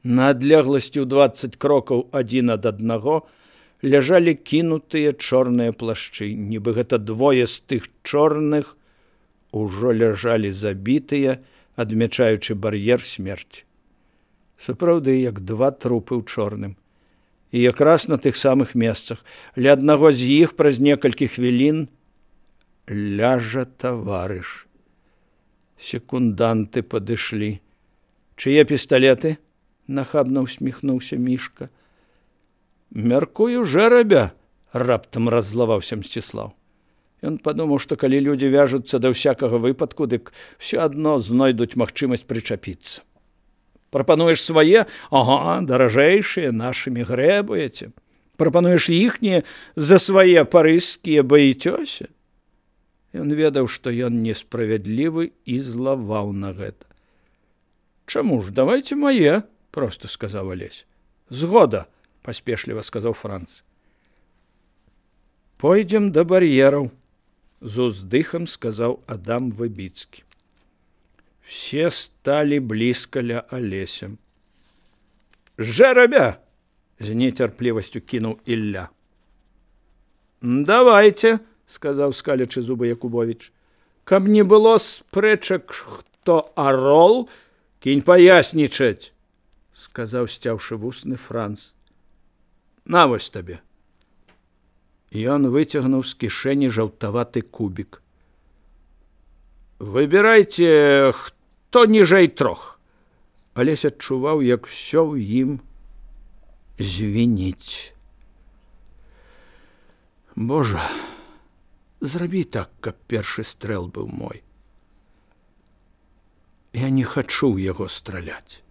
На адлегласці ў 20 крокаў адзін ад аднаго ляжалі кінутыя чорныя плашчы, нібы гэта двое з тых чорных ужо ляжалі забітыя, адмячаючы бар'ер смерці. Сапраўды, як два трупы ў чорным. І якраз на тых самых месцах. Ля аднаго з іх праз некалькі хвілін ляжа таварыш. Секунданты падышлі. Чые пісталеты? Нахабна усміхнуўся Мішка. Мяркую, жэрабя, раптам раззлаваўся Мсціслаў. Ён падумаў, што калі людзі вяжуцца да ўсякага выпадку, дык все адно знойдуць магчымасць прычапіцца. Прапануеш свае? Ага, даражэйшыя, нашымі грэбуеце. Прапануеш іхнія за свае парыжскія баіцёся? Ён ведаў, што ён несправядлівы і злаваў на гэта. Чаму ж, давайце мае, проста сказаў Алесь. Згода, паспешліва сказаў Франц. Пойдзем да бар'ераў, з уздыхам сказаў Адам Выбіцкі. Все сталі блізка ля Алеся. Жэрабя! З нецярплівасцю кінуў Ілля. Давайце, сказаў скалячы зубы Якубовіч. Каб не было спрэчак, хто арол, кінь паяснічаць, сказаў сцяўшы вусны Франц. На вось табе. Ён выцягнуў з кішэні жаўтаваты кубік. Выбірайце, хто ніжэй 3. Алесь адчуваў, як усё ў ім звініць. Божа, зрабі так, каб першы стрэл быў мой. Я не хачу ў яго страляць.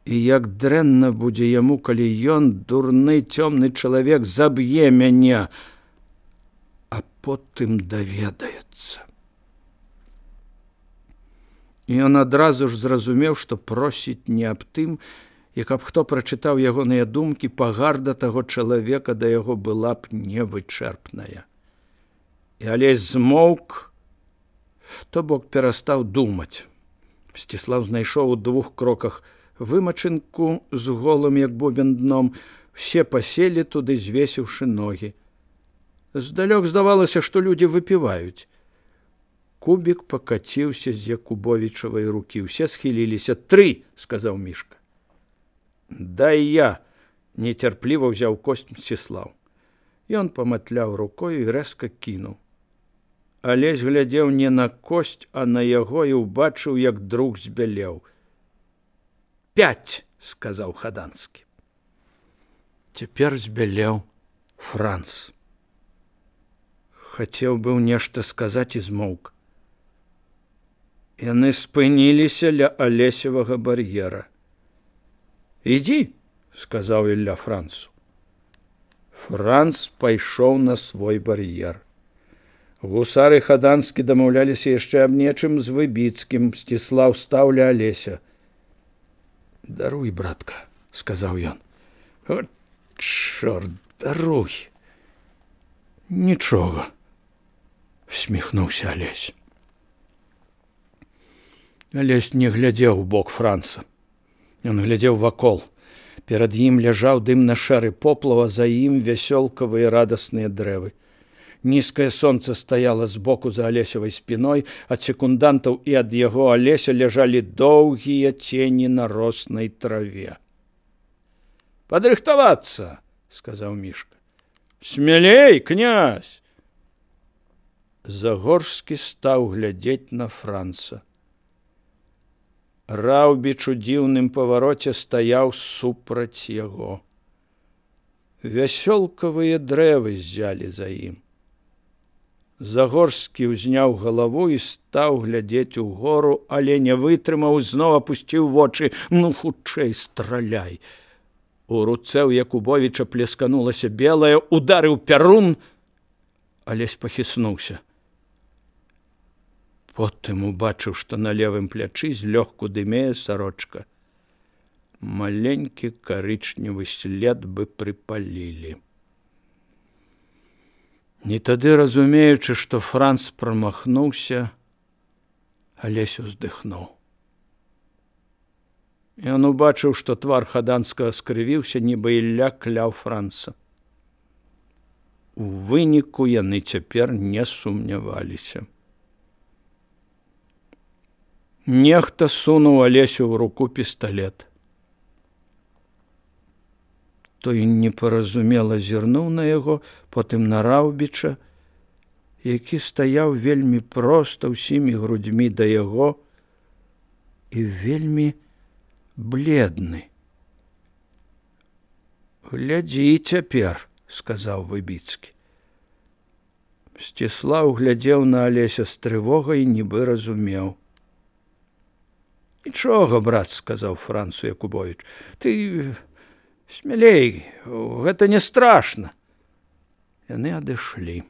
І як дрэнна будзе яму, калі ён, дурны цёмны чалавек, заб'е мяне, а потым даведаецца. Ён адразу ж зразумеў, што просіць не аб тым, і каб хто прачытаў ягоныя думкі, пагарда таго чалавека да яго была б невычэрпная. І Алесь змоўк, то бок перастаў думаць. Мсціслаў знайшоў у 2 кроках вымачынку з голым, як бубен дном, все паселі туды, звесіўшы ногі. Здалёк здавалася, што людзі выпіваюць. Кубік пакаціўся з Якубовічавай рукі. Усе схіліліся. 3, сказаў Мішка. Дай я, нецярпліва ўзяў косць Мсціслаў. Ён паматляў рукою і рэзка кінуў. Алесь глядзеў не на косць, а на яго і ўбачыў, як друг збялеў. 5, сказаў Хаданскі. Цяпер збялеў Франц. Хацеў быў нешта сказаць і змоўк. Яны спыніліся ля Алесевага бар'ера. Ідзі, сказаў Ілля Францу. Франц пайшоў на свой бар'ер. Гусары Хаданскі дамаўляліся яшчэ аб нечым з Выбіцкім. Мсціслаў стаў ля Алеся. Даруй, братка, сказаў ён. О, чорт, даруй. Нічога, усміхнуўся Алесь. Алесь не глядзеў у бок Франца. Ён глядзеў вакол. Перад ім ляжаў дымна-шэры поплаў, а за ім вясёлкавыя радасныя дрэвы. Нізкае сонца стаяла збоку за Алесевай спіной, ад секундантаў і ад яго Алеся ляжалі доўгія цені на роснай траве. Падрыхтавацца, сказаў Мішка. Смялей, князь! Загорскі стаў глядзець на Франца. Раўбіч у дзіўным павароце стаяў супраць яго. Вясёлкавыя дрэвы ззялі за ім. Загорскі ўзняў галаву і стаў глядзець угору, але не вытрымаў, зноў апусціў вочы. Ну, хутчэй страляй. У руцэ ў Якубовіча плесканулася белая, ударыў пярун. Алесь пахіснуўся. Потым убачыў, што на левым плячы злёгку дымее сарочка. Маленькі карычневы след бы прыпалілі. І тады, разумеючы, што Франц прамахнуўся, Алесь уздыхнуў. Ён убачыў, што твар Хаданскага скрывіўся, нібы Ілля кляў Франца. У выніку яны цяпер не сумняваліся. Нехта сунуў Алесю ў руку пісталет. Той непаразумела зірнуў на яго, потым на Раўбіча, які стаяў вельмі проста ўсімі грудзьмі да яго і вельмі бледны. «Глядзі цяпер», – сказаў Выбіцкі. Мсціслаў глядзеў на Алеся з трывогай, нібы разумеў. «Нічога, брат», – сказаў Францу Якубовіч, – «ты смялей, гэта не страшна». Яны адышлі.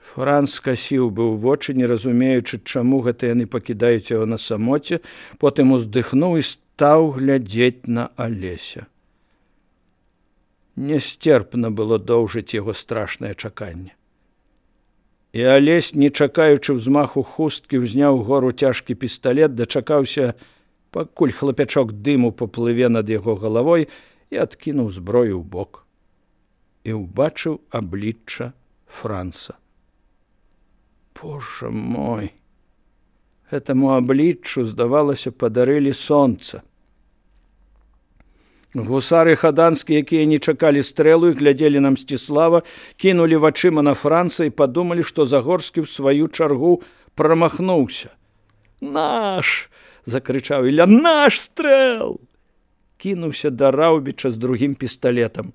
Франц скасіў быў вочы, не разумеючы, чаму гэта яны пакідаюць яго на самоце, потым уздыхнуў і стаў глядзець на Алеся. Нясцерпна было доўжыць яго страшнае чаканне. І Алесь, не чакаючы ўзмаху хусткі, узняў гору цяжкі пісталет, дачакаўся, пакуль хлапячок дыму паплыве над яго галавой, і адкінуў зброю ў бок. І ўбачыў аблічча Франца. Божа мой! Гэтаму абліччу, здавалася, падарылі сонца. Гусары Хаданскі, якія не чакалі стрэлу і глядзелі на Мсціслава, кінулі вачыма на Франца і падумалі, што Загорскі ў сваю чаргу прамахнуўся. «Наш!» – закрычаў Ілля. «Наш стрэл!» Кінуўся да Раўбіча з другім пісталетам.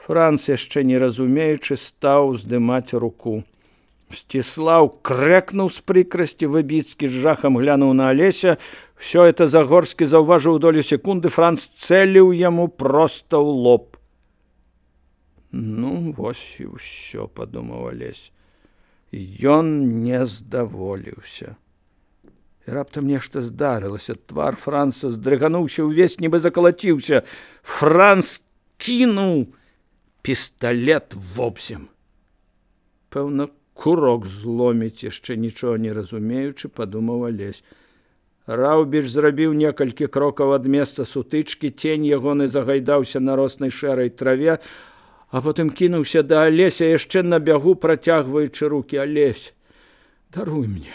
Франц, яшчэ не разумеючы, стаў уздымаць руку. Мсціслаў крэкнуў з прыкрасці, Выбіцкі з жахам глянуў на Алеся. Всё это Загорскі заўважыў долю секунды, Франц цэліў яму проста ў лоб. «Ну, вось і ўсё», – падумаў Алесь. Ён не здаволіўся. І раптам нешта здарылася. Твар Франца здрыгануўся ўвесь, нібы закалаціўся. Франц кінуў пісталет вобзем. Пэўна, курок зломіць, яшчэ нічога не разумеючы, падумаў Алесь. Раўбіч зрабіў некалькі крокаў ад месца сутычкі, цень ягоны загайдаўся на роснай шэрай траве, а потым кінуўся да Алеся, яшчэ на бягу працягваючы рукі. «Алесь, даруй мне!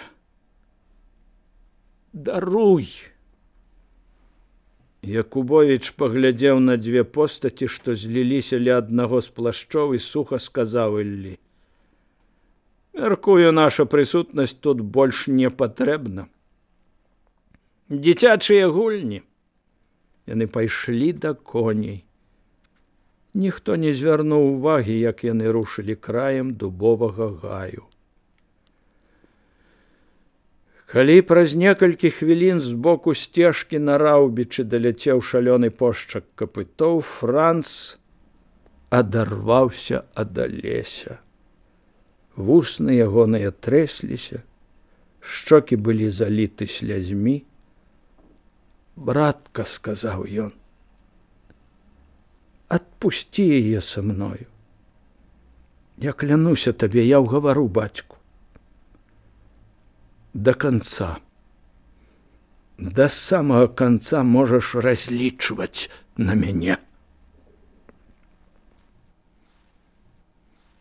Даруй!» Якубовіч паглядзеў на дзве постаці, што зліліся ля аднаго з плашчоў, і суха сказаў Іллі: «Мяркую, наша прысутнасць тут больш не патрэбна. Дзіцячыя гульні». Яны пайшлі да коней. Ніхто не звярнуў увагі, як яны рушылі краем дубовага гаю. Калі праз некалькі хвілін з боку сцежкі на Раўбічы даляцеў шалёны пошчак капытоў, Франц адарваўся ад Алеся. Вусны ягоныя трэсліся, шчокі былі заліты слязьмі. «Братка», – сказаў ён, – «адпусці яе са мною. Я клянуся табе, я ўгавару бацьку. До конца, до самага конца можаш разлічваць на мяне».